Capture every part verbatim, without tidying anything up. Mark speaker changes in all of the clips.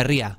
Speaker 1: Herria.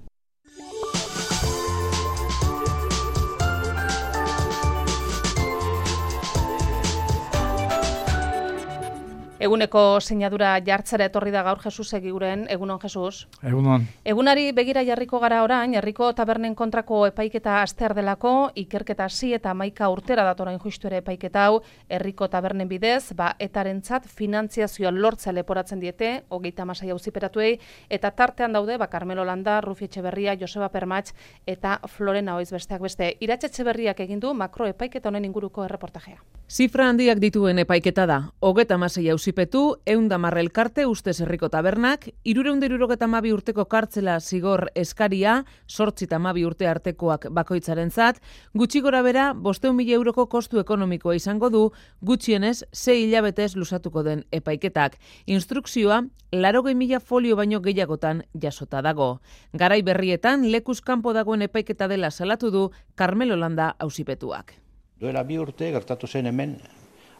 Speaker 2: Eguneko sinadura jartzera etorri da gaur Jesus Egiguren. Egunon, Jesus.
Speaker 3: Egunon.
Speaker 2: Egunari begira jarriko gara orain, herriko tabernen kontrako epaiketa astear delako, ikerketa hasi eta hamaika urtera datorain justu ere epaiketa hau, herriko tabernen bidez, ba etarentzat finantziazioa lortzea leporatzen diete, hogeita hamasei auziperatuei, eta tartean daude, ba Carmelo Landa, Rufi Etxeberria, Joseba Permach eta Florena Oiz besteak beste. Iratxe Etxeberriak egin du makro epaiketa honen inguruko erreportajea.
Speaker 4: Zifra handiak dituen epaiketa da. Hogeita hamasei auzipetu, ehun eta hamar elkarte ustez herriko tabernak, hirurehun eta hirurogeita hamabi urteko kartzela zigor eskaria, zortzi eta hamabi urte artekoak bakoitzarentzat, gutxi gorabehera bostehun mila euroko kostu ekonomikoa izango du, gutxienez sei hilabetez luzatuko den epaiketak. Instrukzioa laurogei mila folio baino gehiagotan jasota dago. Garai berrietan lekuz kanpo dagoen epaiketa dela salatu du Carmelo Landa auzipetuak.
Speaker 5: Duela bi urte gertatu zen hemen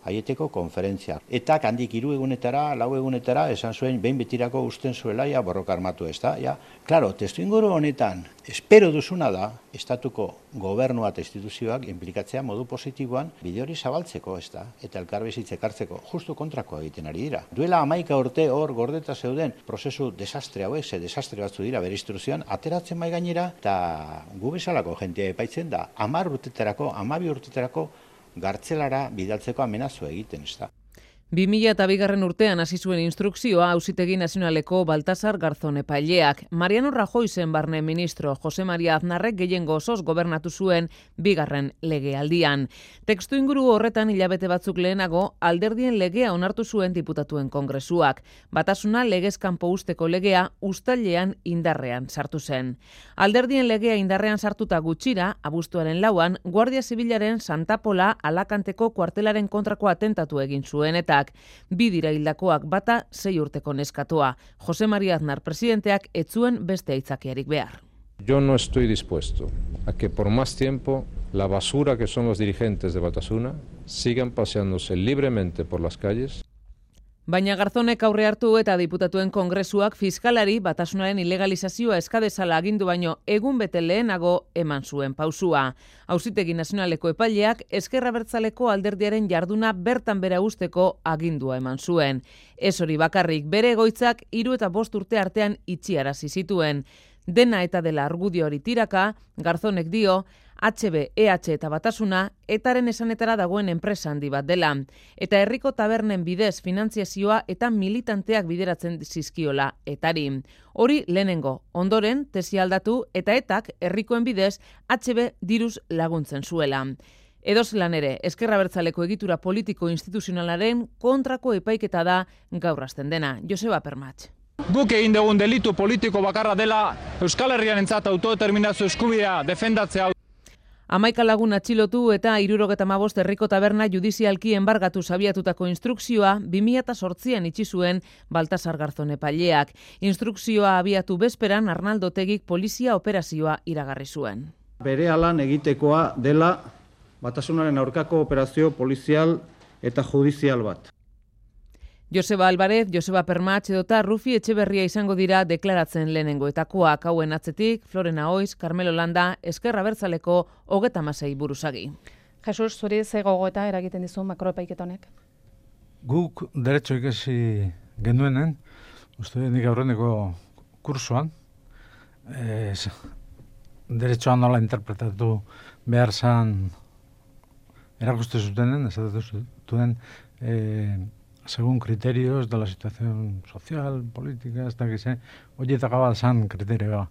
Speaker 5: aieteko konferentzia. Eta handik hiru egunetara, lau egunetara, esan zuen behin betirako usten zuela ja borroka armatu ez da. Ja, claro, testuinguru honetan, espero duzuna da, estatuko gobernua eta instituzioak inplikatzea modu positiboan bide hori zabaltzeko ez da, eta elkarbizitza ekartzeko justu kontrakoa egiten ari dira. Duela hamaika urte hor gordeta zeuden prozesu desastre hauek, ze desastre batzu dira bere instrukzioan, ateratzen mai gainera, eta gu bezalako jentea epaitzen da, hamar urtetarako, hamabi urtetarako gartzelara bidaltzeko amenazua egiten, ez da.
Speaker 4: bi mila eta bigarren urtean hasi zuen instrukzioa Auzitegi Nazionaleko Baltasar Garzón epaileak. Mariano Rajoy zen barne ministro, Jose Maria Aznarrek gehiengo osoz gobernatu zuen bigarren legealdian. Testu inguru horretan hilabete batzuk lehenago alderdien legea onartu zuen diputatuen kongresuak. Batasuna legez kanpo usteko legea uztailean indarrean sartu zen. Alderdien legea indarrean sartuta gutxira, abuztuaren lauan, Guardia Zibilaren Santa Pola Alakanteko kuartelaren kontrako atentatu egin zuen eta bi dira hildakoak bata sei urteko neskatoa. Jose Maria Aznar presidenteak ez zuen beste aitzakiarik behar.
Speaker 6: Yo no estoy dispuesto a que por más tiempo la basura que son los dirigentes de Batasuna sigan paseándose libremente por las calles.
Speaker 4: Baina Garzonek aurre hartu eta diputatuen kongresuak fiskalari Batasunaren ilegalizazioa eskadezala agindu baino egun bete lehenago eman zuen pausua. Auzitegi Nazionaleko epaileak Ezker Abertzaleko alderdiaren jarduna bertan bera usteko agindua eman zuen. Ez hori bakarrik, bere egoitzak hiru eta bost urte artean itxiarazi zituen. Dena eta dela argudio hori tiraka, Garzonek dio, H B, E H eta Batasuna etaren esanetara dagoen enpresa handi bat dela. Eta herriko tabernen bidez finantziazioa eta militanteak bideratzen zizkiola etari. Hori lehenengo, ondoren tesi aldatu eta etak herrikoen bidez H B diruz laguntzen zuela. Edozelan ere, Ezker Abertzaleko egitura politiko instituzionalaren kontrako epaiketa da gaur hasten dena. Joseba Permach.
Speaker 7: Guk egin dugun delitu politiko bakarra dela Euskal Herriarentzat autodeterminazio eskubidea defendatzea.
Speaker 4: Hamaika lagun atxilotu eta hirurogeita hamabost herriko taberna judizialki enbargatu abiatutako instrukzioa bi mila zortzian itxi zuen Baltasar Garzón epaileak. Instrukzioa abiatu bezperan Arnaldo Otegik polizia operazioa iragarri zuen.
Speaker 8: Berehalan egitekoa dela Batasunaren aurkako operazio polizial eta judizial bat.
Speaker 4: Joseba Alvarez, Joseba Permach edota Rufi Etxeberria izango dira deklaratzen lehenengoetakoak hauen atzetik, Florena Oiz, Carmelo Landa, Ezker Abertzaleko hogeita hamasei buruzagi.
Speaker 2: Jesus, zuri ze gogoeta eragiten dizu makroepaiketa honek?
Speaker 3: Guk derecho ikasi genuenen, uste nik aurreneko kursoan, ez, derechoa nola interpretatu behar zan erakuste zutenen, ez zutenen, eh, según criterios de la situación social, política, hasta que se oye tagaba san kriterioa.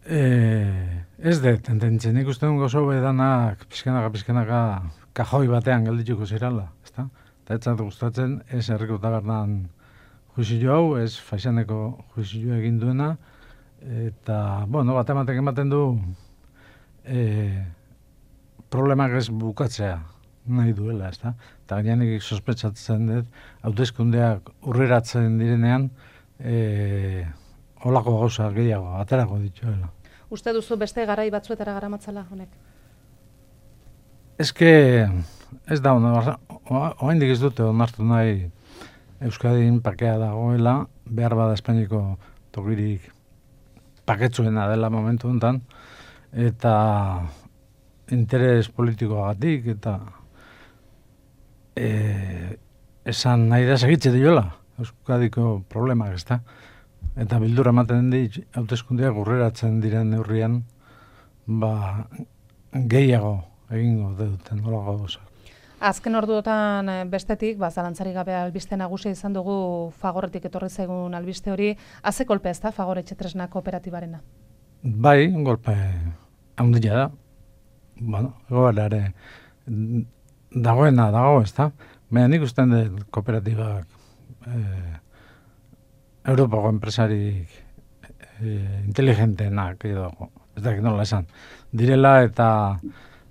Speaker 3: Eh, ez de tendentzen ikusten gozo bedanak pizkanaka pizkanaka kajoi batean geldituko zirala, ezta? Ta etzat gustatzen ez herriko tabernan juizio hau, ez Faixaneko juizio egin duena eta bueno, bat ematek ematen du eh, problemak ez bukatzea nahi duela, ezta? Eta gainenik sospetsatzen dut, hauteskundeak urreratzen direnean, e, holako gauza gehiago, aterako dituela.
Speaker 2: Uste duzu beste garai batzuetara garamatzala honek?
Speaker 3: Ez que, ez da, oraindik ez dute onartu nahi Euskadin pakea dagoela, behar bada Espainiko tokirik paketsuena dela momentu honetan, eta interes politikoagatik, eta e, esan nahi da segitze diola, Euskadiko problemak, ez da? Eta bildura ematen di, hauteskundeak urreratzen diren neurrian, ba, gehiago egingo duten, nolako gauza.
Speaker 2: Azken orduotan bestetik, ba, zalantzarik gabe albiste nagusia izan dugu Fagorretik etorri zaigun albiste hori, haze kolpe ez da, Fagor etxetresna kooperatibarena?
Speaker 3: Bai, golpe handia da. Bueno, egoera ere dagoena dago, ez da? Baina nik ustean dut kooperatibak eh, Europako enpresarik eh, inteligentenak edo, ez dakit nola esan, direla eta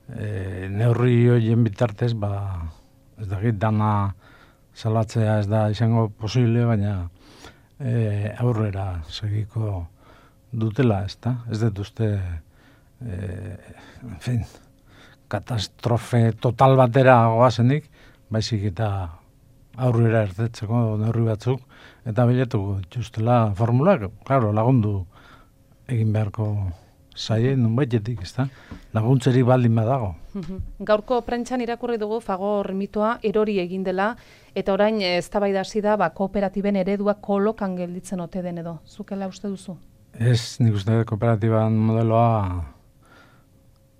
Speaker 3: e, neurri horien bitartez, ba, ez dakit dana salatzea ez da izango posible, baina e, aurrera segiko dutela, ez da? Ez dut uste, e, en fin, katastrofe total batera goazenik, baizik eta aurrera ertetzeko neurri batzuk, eta bilatuko dituztela formulak, claro, lagundu egin beharko zaien nunbaitetik, ez da? Laguntzerik baldin badago.
Speaker 2: Gaurko prentxan irakurri dugu Fagor mitoa erori egin dela, eta orain eztabaida hasi da ba, kooperatiben eredua kolokan gelditzen ote den edo. Zukela uste duzu?
Speaker 3: Ez, nik uste kooperatiban modeloa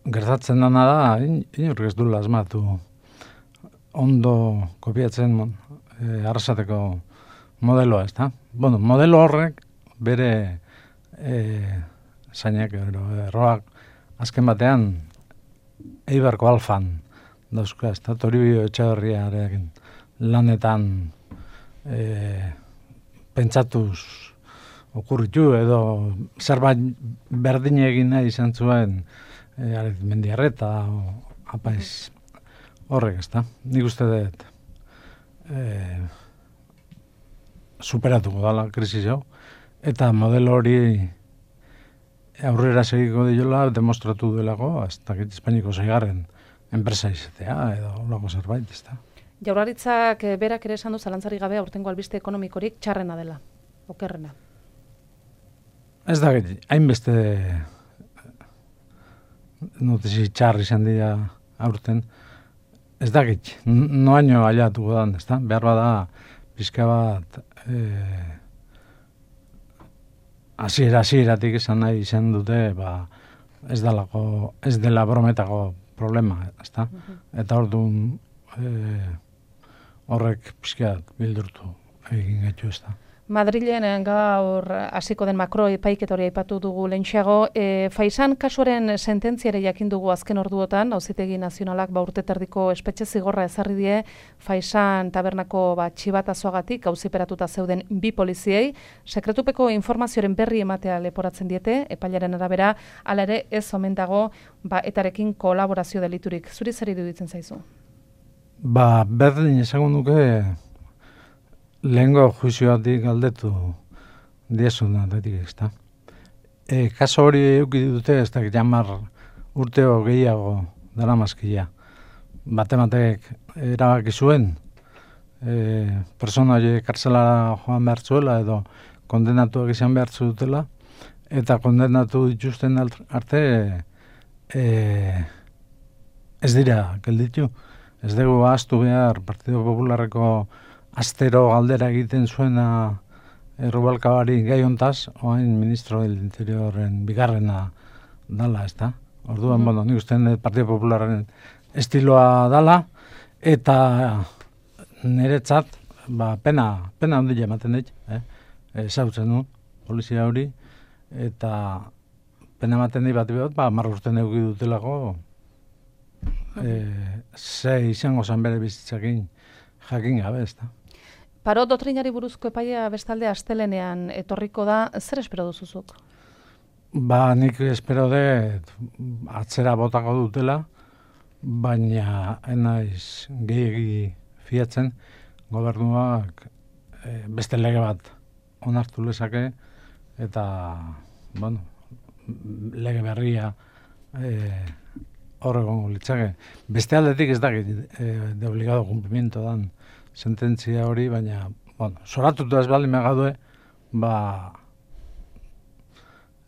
Speaker 3: gertatzen dana da, in, inork ez duela asmatu ondo kopiatzen e, arrasateko modeloa, ez da? Bueno, modelo horrek bere e, zainak, erroak, azken batean Eibarko Alfan dauzka, ez da? Toribio Etxeberriaren lanetan e, pentsatuz okurritu edo zerbait berdin egin nahi izan zuen e, Mendiarreta o apaiz horrek, ez da? Nik uste dut e, superatuko dala krisis hau, eta modelo hori aurrera segiko diola demostratu duelako, ez dakit Espainiko seigarren enpresa izatea, edo olako zerbait, ez da?
Speaker 2: Jaurlaritzak berak ere esan du zalantzarik gabe aurtengo albiste ekonomikorik txarrena dela, okerrena.
Speaker 3: Ez dakit, hainbeste notisi txarri izan dira aurten, ez dakit, noaino aliatuko dan, ez da? Behar bada, pizka bat, eh, hasiera hasieratik esan nahi izan dute, ba, ez dalako, ez dela brometako problema, ez da? Eta orduan eh, horrek pizka bildurtu egin gaitu, ez da?
Speaker 2: Madrilen gaur hasiko den makro epaiketa hori aipatu dugu lehentxeago. E, Faisan kasuaren sententziare jakin dugu azken orduotan, Auzitegi Nazionalak ba urte terdiko espetxe zigorra ezarri die Faisan tabernako ba txibatazoagatik auziperatuta zeuden bi poliziei, sekretupeko informazioaren berri ematea leporatzen diete, epailaren arabera, hala ere ez omen dago ba etarekin kolaborazio deliturik. Zuri zer iruditzen zaizu?
Speaker 3: Ba, berdin esango nuke lehengo juizioatik galdetu diezuna, detik, ez da. E, kaso hori euki dute, ez da, jamar urteo gehiago dara mazkia. Batematek erabaki zuen, e, persona hori kartzelara joan behar zuela, edo kondenatuak izan behar dutela, eta kondenatu dituzten arte e, ez dira gelditu. Ez dugu ahaztu behar Partido Popularreko astero galdera egiten zuena Rubalcabari gai hontaz, oain ministro del Interiorren bigarrena dala, ez da? Orduan, mm. bueno, nik ustean Partido Popularren estiloa dala, eta niretzat, ba, pena, pena handia ematen dit, eh? Ezautzen du, polizia hori, eta pena ematen dit bat behot, ba, marra urten euki dutelako, mm. e, ze izango zan bere bizitzakin jakin gabe, ez da?
Speaker 2: Paro doktrinari buruzko epaia bestalde astelenean etorriko da, zer espero duzuzuk?
Speaker 3: Ba, nik espero dut atzera botako dutela, baina enaiz gehiagi fiatzen gobernuak e, beste lege bat onartu lezake, eta, bueno, lege berria e, horregon litzake. Beste aldetik ez dakit e, de obligado cumplimiento dan sententzia hori, baina, bueno, soratutu ez baldin megadue, ba,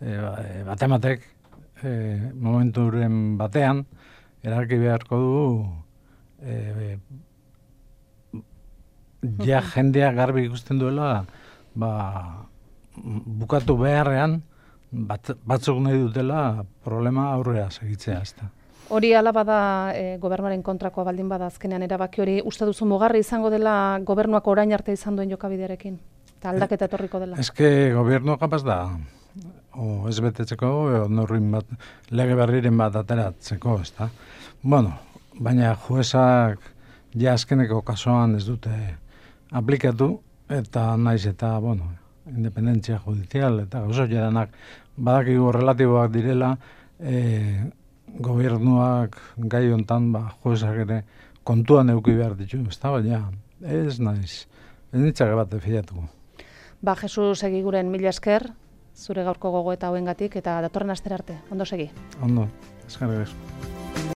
Speaker 3: e, batematek e, momenturen batean erabaki beharko du e, ja jendea garbi ikusten duela ba, bukatu beharrean bat, batzuk nahi dutela problema aurrera segitzea, ezta.
Speaker 2: Hori ala bada e, gobernuaren kontrakoa baldin bada azkenean erabaki hori, uste duzu mugarri izango dela gobernuak orain arte izan duen jokabidearekin? Eta aldaketa etorriko dela?
Speaker 3: Eske gobernu kapaz da, o ez betetzeko, o norrin bat, lege berriren bat ateratzeko, ezta. Bueno, baina juezak ja azkeneko kasuan ez dute aplikatu, eta naiz eta, bueno, independentzia judizial, eta gauzo jadanak badakigu relatiboak direla, e, gobernuak gai hontan ba, juezak ere kontuan euki behar ditu, ez da, baina ez naiz, ez nitzake bat fiatuko.
Speaker 2: Ba, Jesus Egiguren mila esker, zure gaurko gogoeta hauengatik eta datorren astera arte. Ondo segi.
Speaker 3: Ondo, eskerrik asko.